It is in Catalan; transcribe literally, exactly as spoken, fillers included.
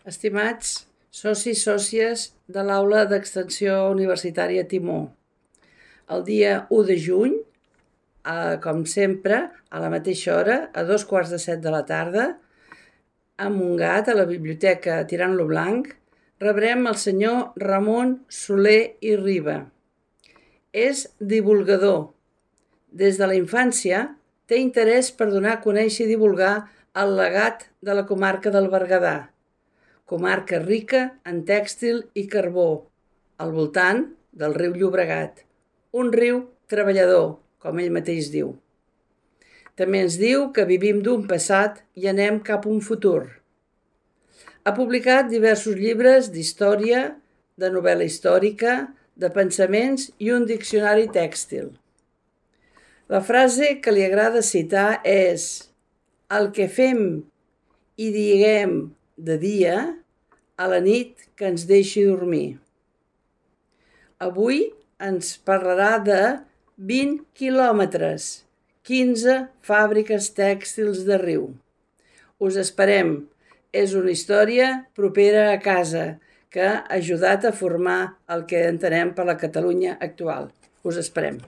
Estimats socis, sòcies de l'Aula d'Extensió Universitària Timó, el dia u de juny, eh, com sempre, a la mateixa hora, a dos quarts de set de la tarda, a Montgat, a la Biblioteca Tirant-lo Blanc, rebrem el senyor Ramon Soler i Riba. És divulgador. Des de la infància té interès per donar a conèixer i divulgar el legat de la comarca del Berguedà, comarca rica en tèxtil i carbó, al voltant del riu Llobregat, un riu treballador, com ell mateix diu. També ens diu que vivim d'un passat i anem cap a un futur. Ha publicat diversos llibres d'història, de novel·la històrica, de pensaments i un diccionari tèxtil. La frase que li agrada citar és: el que fem i diguem de dia, a la nit que ens deixi dormir. Avui ens parlarà de vint quilòmetres, quinze fàbriques tèxtils de riu. Us esperem. És una història propera a casa que ha ajudat a formar el que entenem per la Catalunya actual. Us esperem.